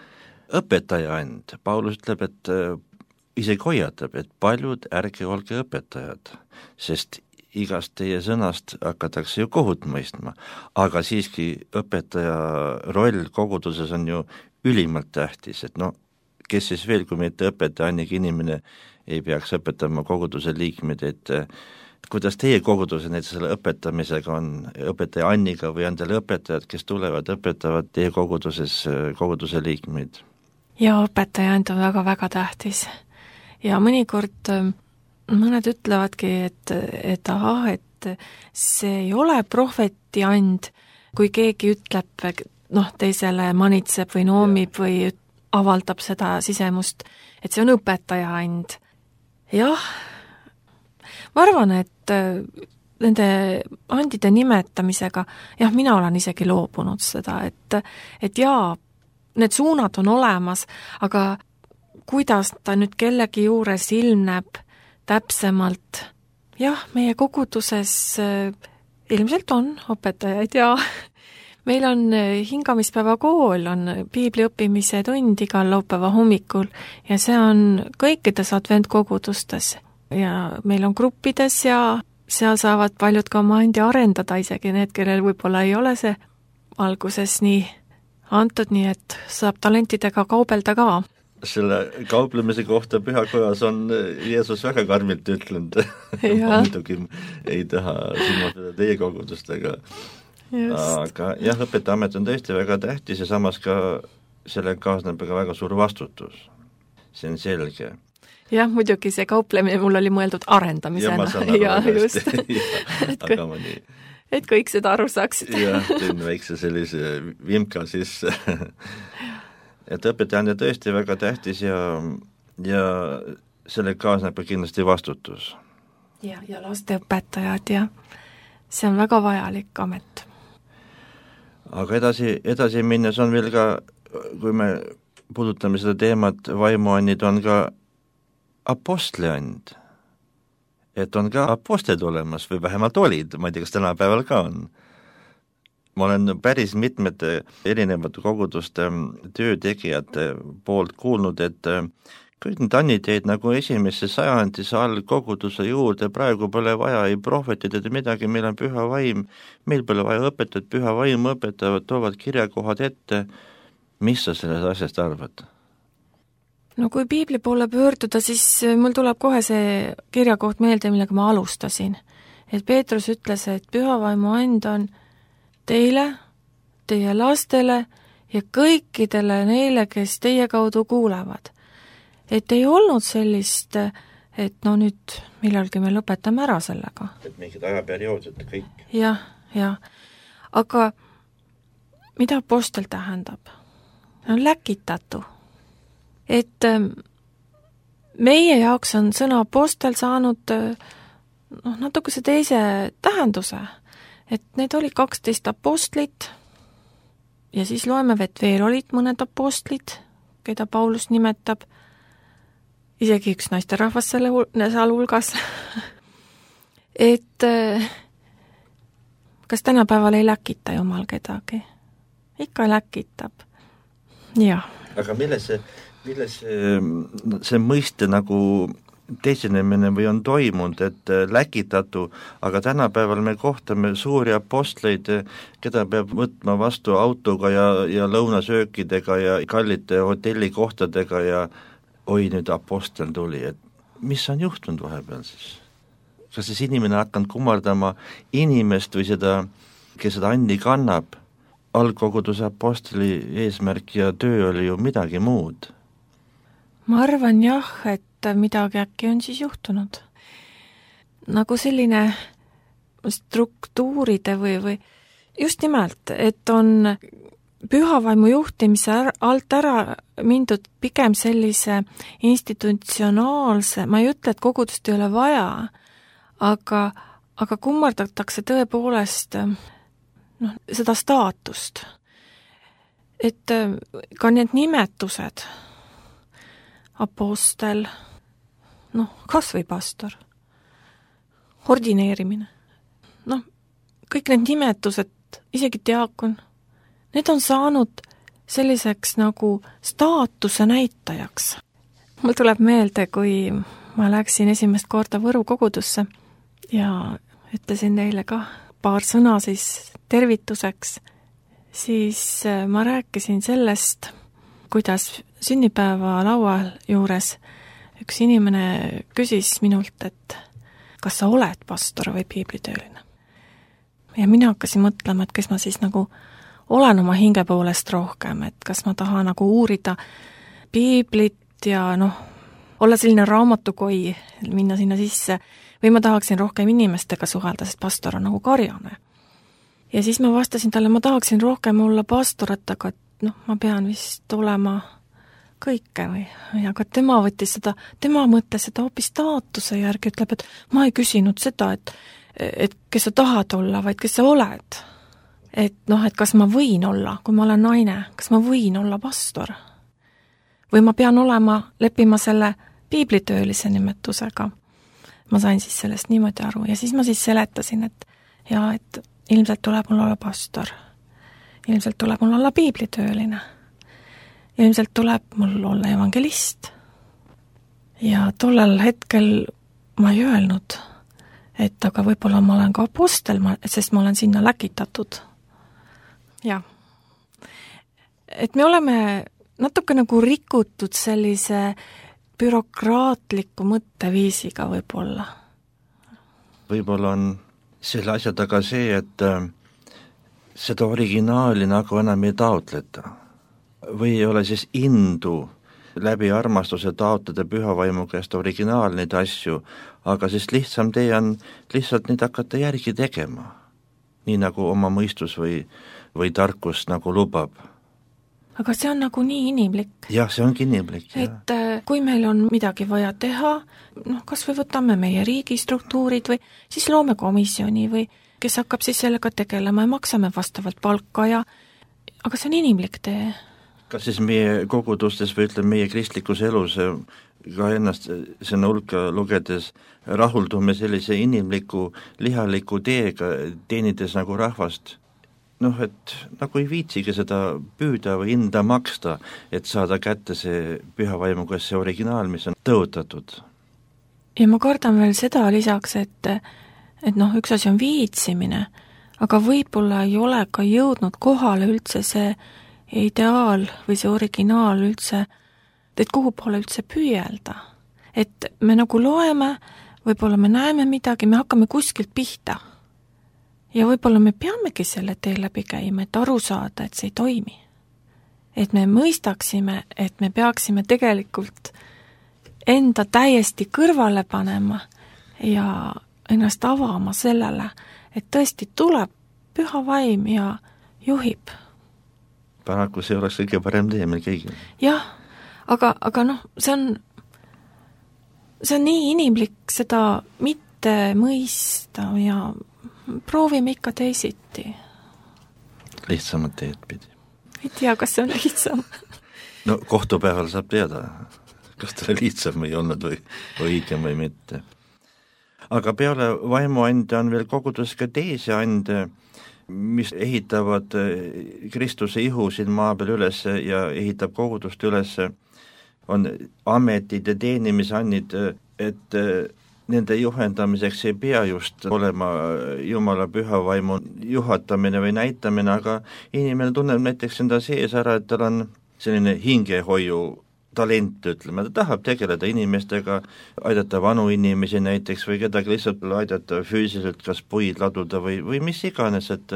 Speaker 3: õpetaja and. Paulus ütleb, et isegi hoiatab, et paljud ärge olge õpetajad, sest igast teie sõnast hakatakse ju kohut mõistma, aga siiski õpetaja roll koguduses on ju ülimalt tähtis, et no kes siis veel, kui mitte õpetaja, annegi inimene ei peaks õpetama koguduse liikmeid, et kuidas teie koguduse näiteks selle õpetamisega on, õpetaja Anniga või on teil õpetajad, kes tulevad, õpetavad teie koguduses koguduse liikmeid?
Speaker 4: Ja õpetaja and on väga-väga tähtis. Ja mõnikord mõned ütlevadki, et, et aha, et see ei ole prohveti and, kui keegi ütleb, noh, teisele manitseb või noomib või avaldab seda sisemust, et see on õpetaja and. Jah, ma arvan, et nende andide nimetamisega, jah, mina olen isegi loobunud seda, et, et jaa, need suunad on olemas, aga kuidas ta nüüd kellegi juures ilmneb täpsemalt, jah, meie koguduses ilmselt on õpetajaid ja meil on hingamispäeva kool, on piibli õppimise tund igal laupäeva hommikul ja see on kõikides adventkogudustes. Ja meil on gruppides ja seal saavad paljud ka oma andi arendada, isegi need, kellel võib-olla ei ole see alguses nii antud, nii et saab talentidega kaubelda ka.
Speaker 3: Selle kauplemise kohta pühakojas on Jeesus väga karmilt ütlenud. Ma muidugi ei taha silmata teie kogudustega. Aga jah, õpetajamet on tõesti väga tähtis ja samas ka selle kaasneb ka väga suur vastutus. See on selge.
Speaker 4: Jah, muidugi see kauplemine mul oli mõeldud arendamisena.
Speaker 3: Ja ma saan aru
Speaker 4: ja,
Speaker 3: just. ja, aga ma nii.
Speaker 4: Et kõik seda aru saaksid.
Speaker 3: jah, teen väikse sellise vimka sisse. et õpetaja on tõesti väga tähtis ja, ja selle kaasneb kindlasti vastutus.
Speaker 4: Ja, ja lasteõpetajad ja see on väga vajalik amet.
Speaker 3: Aga edasi, edasi minnes on veel ka, kui me puudutame seda teemat, vaimuannid on ka apostliand, et on ka apostlid olemas või vähemalt olid, ma ei tea, kas tänapäeval ka on. Ma olen päris mitmete erinevate koguduste töötegijate poolt kuulnud, et kõik need anniteed nagu esimesse sajandisse all koguduse juurde, praegu pole vaja ei prohvetid ega midagi, meil on püha vaim, meil pole vaja õpetajat, püha vaim õpetavad, toovad kirjakohad ette. Mis sa sellest asjast arvad?
Speaker 4: No kui piibli poole pöörduda, siis mul tuleb kohe see kirjakoht meelde, millega ma alustasin. Et Peetrus ütles, et püha vaimu and on teile, teie lastele ja kõikidele neile, kes teie kaudu kuulevad. Et ei olnud sellist, et no nüüd millalgi me lõpetame ära sellega.
Speaker 3: Et mingid ajaperioodid kõik.
Speaker 4: Jah, jah. Aga mida apostel tähendab? On läkitatu. Et meie jaoks on sõna apostel saanud noh, natukese teise tähenduse. Et need oli kaksteist apostlit ja siis loeme, et veel olid mõned apostlid, keda Paulus nimetab, isegi üks naisterahvas selle seal hulgas. et kas tänapäeval ei läkita Jumal kedagi? Ikka läkitab. Jah.
Speaker 3: Aga milles see, milles see, see mõiste nagu teisenemine või on toimunud, et läkitatu, aga tänapäeval me kohtame suuri apostleid, keda peab võtma vastu autoga ja, ja lõunasöökidega ja kallite hotellikohtadega ja oi, nüüd apostel tuli, et mis on juhtunud vahepeal siis? Kas siis inimene hakanud kummardama inimest või seda, kes seda andi kannab? Algkoguduse apostli eesmärk ja töö oli ju midagi muud.
Speaker 4: Ma arvan jah, et midagi äkki on siis juhtunud. Nagu selline struktuuride või, või just nimelt, et on pühavaimu juhtimise alt ära mindud pigem sellise institutsionaalse, ma ei ütle, et kogudust ei ole vaja, aga, aga kummardatakse tõepoolest noh, seda staatust. Et ka need nimetused, apostel, noh, kas või pastor, ordineerimine, noh, kõik need nimetused, isegi diakon, need on saanud selliseks nagu staatuse näitajaks. Mul tuleb meelde, kui ma läksin esimest korda Võru kogudusse ja ütlesin neile ka paar sõna siis tervituseks, siis ma rääkisin sellest, kuidas sünnipäeva laual juures üks inimene küsis minult, et kas sa oled pastor või piiblitööline. Ja mina hakkasin mõtlema, et kes ma siis nagu olen oma hinge poolest rohkem, et kas ma tahan nagu uurida piiblit ja noh, olla selline raamatukoi, minna sinna sisse, või ma tahaksin rohkem inimestega suhelda, sest pastor on nagu karjane. Ja siis ma vastasin talle, ma tahaksin rohkem olla pastorat, aga noh, ma pean vist olema kõike või, aga tema võttis seda, tema mõtles seda hoopis staatuse järgi, ütleb, et ma ei küsinud seda, et, et kes sa tahad olla, vaid kes sa oled. Et noh, et kas ma võin olla, kui ma olen naine, kas ma võin olla pastor? Või ma pean olema, leppima selle piiblitöölise nimetusega. Ma sain siis sellest niimoodi aru ja siis ma siis seletasin, et ja, et ilmselt tuleb mul olla pastor. Ilmselt tuleb mul olla piiblitööline. Ilmselt tuleb mul olla evangelist. Ja tollel hetkel ma ei öelnud, et aga võib-olla ma olen ka apostel, sest ma olen sinna läkitatud. Ja. Et me oleme natuke nagu rikutud sellise bürokraatliku mõtteviisiga võib-olla.
Speaker 3: Võib-olla on selle asja taga see, et seda originaali nagu enam ei taotleta. Või ei ole siis indu läbi armastuse taotleda pühavaimu käest originaalneid asju, aga siis lihtsam tee on lihtsalt neid hakata järgi tegema. Nii nagu oma mõistus või, või tarkus nagu lubab.
Speaker 4: Aga see on nagu nii inimlik.
Speaker 3: Jah, see ongi inimlik.
Speaker 4: Et jah. Kui meil on midagi vaja teha, noh, kas või võtame meie riigistruktuurid või siis loome komisjoni või kes hakkab siis sellega tegelema ja maksame vastavalt palka ja aga see on inimlik tee.
Speaker 3: Kas siis meie kogudustes või ütleme meie kristlikus elus ka ennast sinna hulka lugedes rahuldume sellise inimliku, lihaliku teega, teenides nagu rahvast? noh, et nagu ei viitsigi seda püüda või hinda maksta, et saada kätte see püha vaimuga see originaal, mis on tõotatud.
Speaker 4: Ja ma kardan veel seda lisaks, et, et noh, üks asi on viitsimine, aga võib-olla ei ole ka jõudnud kohale üldse see ideaal või see originaal üldse, et kuhu poole üldse püüelda. Et me nagu loeme, võib-olla me näeme midagi, me hakkame kuskilt pihta. Ja võib-olla me peamegi selle tee läbi käima, et aru saada, et see ei toimi. Et me mõistaksime, et me peaksime tegelikult enda täiesti kõrvale panema ja ennast avama sellele, et tõesti tuleb püha vaim ja juhib.
Speaker 3: Paraku see oleks kõige parem tee meil kõigil.
Speaker 4: Jah, aga, aga noh, see on, see on nii inimlik seda mitte mõista ja proovime ikka teisiti.
Speaker 3: Lihtsamad teed pidi.
Speaker 4: Ei tea, kas see on lihtsam.
Speaker 3: No kohtupäeval saab teada, kas ta lihtsam ei olnud või, või õigem või mitte. Aga peale vaimuande on veel kogudus ka teisi ande, mis ehitavad Kristuse ihu siin maa peal üles ja ehitab kogudust üles, on ametid ja teenimisannid, et nende juhendamiseks ei pea just olema Jumala püha vaimu juhatamine või näitamine, aga inimene tunneb näiteks enda sees ära, et tal on selline hingehoiu talent, ütleme, ta tahab tegeleda inimestega, aidata vanu inimesi näiteks või kedagi lihtsalt aidata füüsiliselt, kas puid laduda või, või mis iganes, et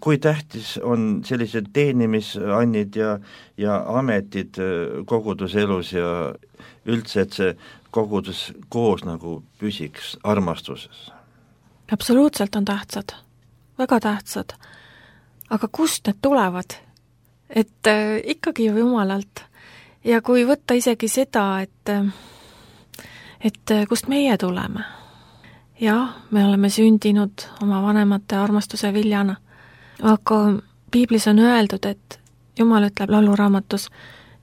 Speaker 3: kui tähtis on sellised teenimisannid ja, ja ametid koguduse elus ja üldse, et see kogudus koos nagu püsiks armastuses.
Speaker 4: Absoluutselt on tähtsad, väga tähtsad, aga kust need tulevad? Et äh, ikkagi ju Jumalalt. Ja kui võtta isegi seda, et, et kust meie tuleme. Jah, me oleme sündinud oma vanemate armastuse viljana, aga piiblis on öeldud, et Jumal ütleb lauluraamatus,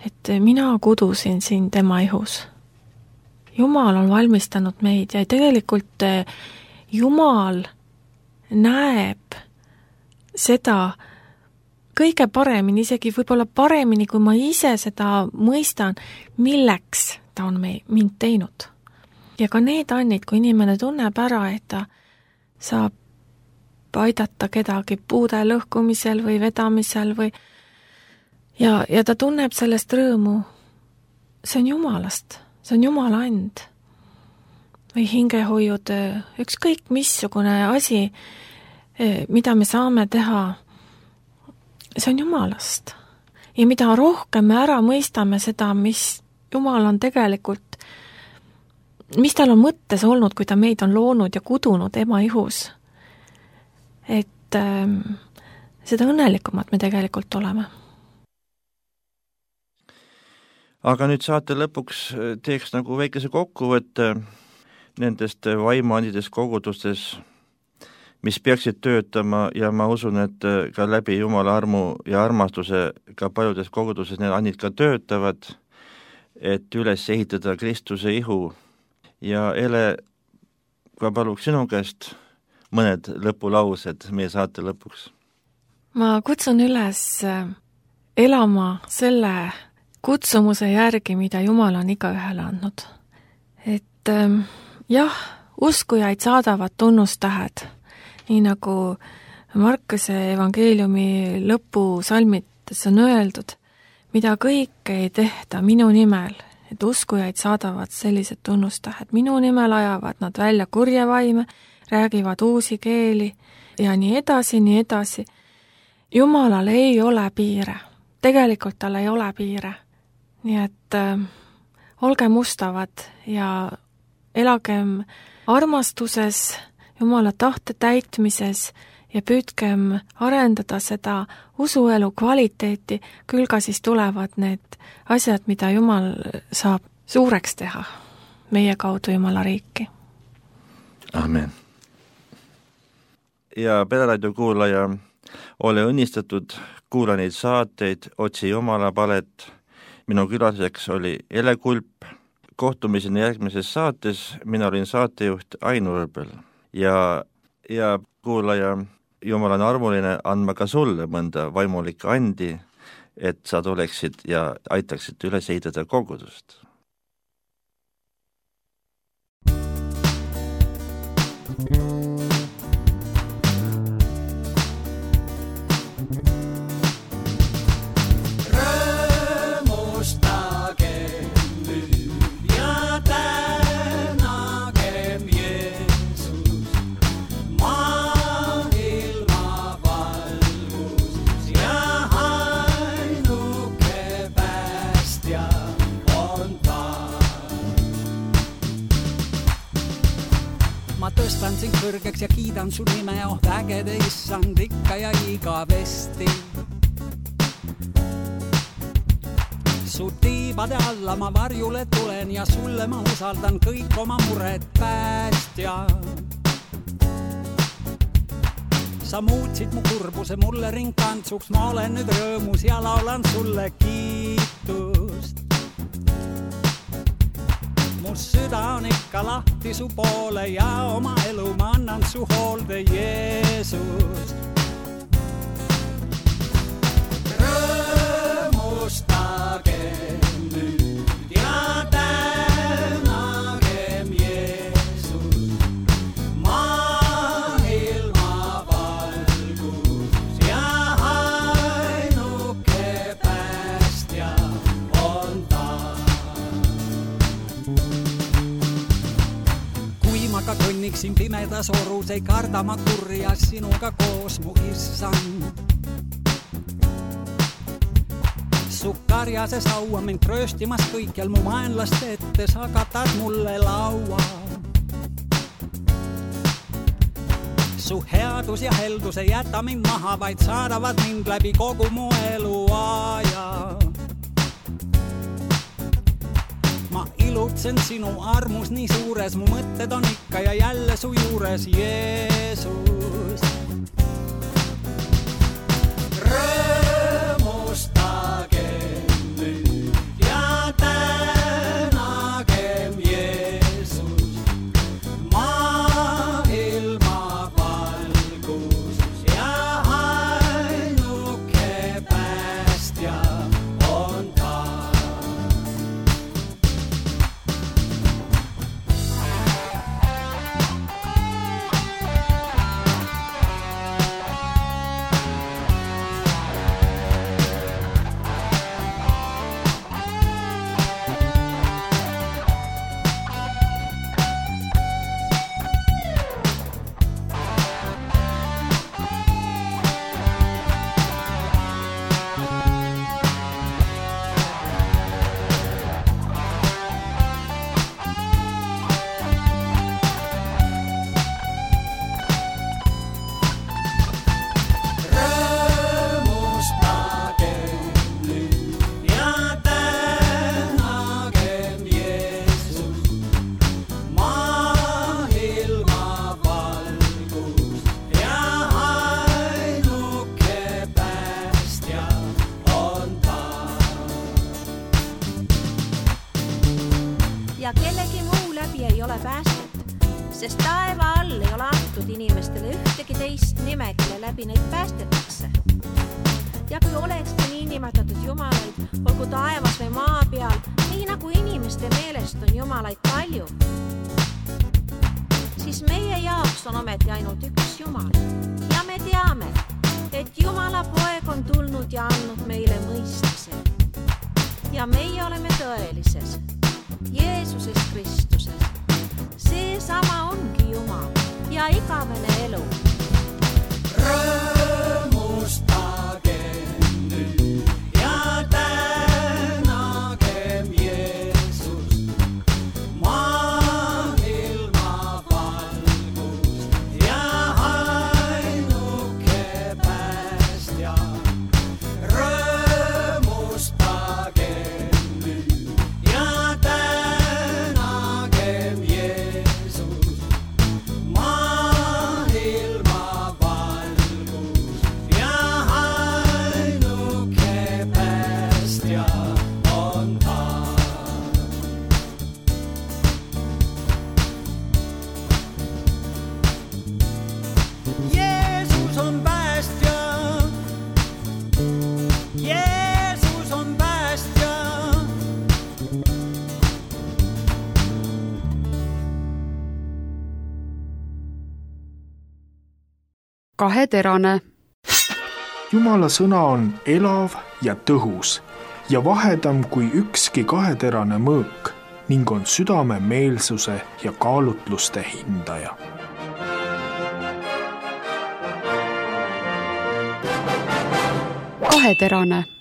Speaker 4: et mina kudusin siin tema ihus. Jumal on valmistanud meid ja tegelikult Jumal näeb seda kõige paremini, isegi võib-olla paremini, kui ma ise seda mõistan, milleks ta on mei, mind teinud. Ja ka need annid, kui inimene tunneb ära, et ta saab aidata kedagi puude lõhkumisel või vedamisel või ja, ja ta tunneb sellest rõõmu, see on Jumalast, see on Jumala and. Või hingehoiud, ükskõik missugune asi, mida me saame teha, see on Jumalast. Ja mida rohkem me ära mõistame seda, mis Jumal on tegelikult, mis tal on mõttes olnud, kui ta meid on loonud ja kudunud ema ihus, et äh, seda õnnelikumad me tegelikult oleme.
Speaker 3: Aga nüüd saate lõpuks teeks nagu väikese kokkuvõtte nendest vaimuandidest kogudustes, mis peaksid töötama ja ma usun, et ka läbi Jumala armu ja armastuse ka paljudes koguduses need annid ka töötavad, et üles ehitada Kristuse ihu. Ja Ele, ka paluks sinu käest mõned lõpulaused meie saate lõpuks.
Speaker 4: Ma kutsun üles elama selle kutsumuse järgi, mida Jumal on igaühele andnud. Et jah, uskujaid saadavad tunnustähed, nii nagu Markuse evangeeliumi lõpusalmites on öeldud, mida kõike ei tehta minu nimel, et uskujaid saadavad sellised tunnustähed. Minu nimel ajavad nad välja kurje vaime, räägivad uusi keeli ja nii edasi, nii edasi. Jumalal ei ole piire. Tegelikult tal ei ole piire. Nii et äh, olgem ustavad ja elagem armastuses, Jumala tahte täitmises ja püüdkem arendada seda usuelu kvaliteeti, küll ka siis tulevad need asjad, mida Jumal saab suureks teha meie kaudu Jumala riiki.
Speaker 3: Amen. Ja Pereraadio kuulaja, ole õnnistatud, kuula neid saateid, otsi Jumala palet. Minu külaseks oli Ele Kulp. Kohtumiseni järgmises saates, mina olin saatejuht Ain Urbel. Ja, ja kuulaja, Jumal on armuline andma ka sulle mõnda vaimulikku andi, et sa tuleksid ja aitaksid üles ehitada kogudust.
Speaker 5: Tõstan sind kõrgeks ja kiidan su nime, oh vägede issand ikka ja igavesti. Su tiibade alla ma varjule tulen ja sulle ma usaldan kõik oma mured päästja. Sa muutsid mu kurbuse mulle ringkantsuks, ma olen nüüd rõõmus ja laulan sulle kiitust. Mu süda on ikka lahti su poole ja oma elu ma annan su hoolde, Jeesus. Rõõmustage nüüd ja tänagem Jeesus, maailma valgus ja ainuke päästja on ta. Ma ka kõnniksin pimedas orus, ei karda ma kurja sinuga koos, mu issand. Su karjases haua mind trööstimas kõikjal mu vaenlaste ette, sa katad mulle laua. Su headus ja heldus ei jäta mind maha, vaid saadavad mind läbi kogu mu eluaja. Ma ilutsen sinu armus nii suures, mu mõtted on ikka ja jälle su juures, Jeesus. Rõõmustage nüüd ja tänagem Jeesus, maailma valgus ja ainuke päästja on ta.
Speaker 6: Ja kellegi muu läbi ei ole päästet, sest taeva all ei ole antud inimestele ühtegi teist nime, kelle läbi neid päästetakse. Ja kui olekski nii nimetatud jumalaid, olgu taevas või maa peal, nii nagu inimeste meelest on jumalaid palju, siis meie jaoks on ometi ainult üks Jumal. Ja me teame, et Jumala poeg on tulnud ja andnud meile mõistmise. Ja meie oleme tõelises Jeesuses Kristuses. See sama ongi Jumal ja igavene elu. Rõõmustage nüüd ja tänagem Jeesus, maailma valgus ja ainuke päästja. Rõõmustage nüüd ja tänagem Jeesus, maailma
Speaker 7: kaheterane.
Speaker 2: Jumala sõna on elav ja tõhus ja vahedam kui ükski kaheterane mõõk ning on südame meelsuse ja kaalutluste hindaja.
Speaker 7: Kaheterane.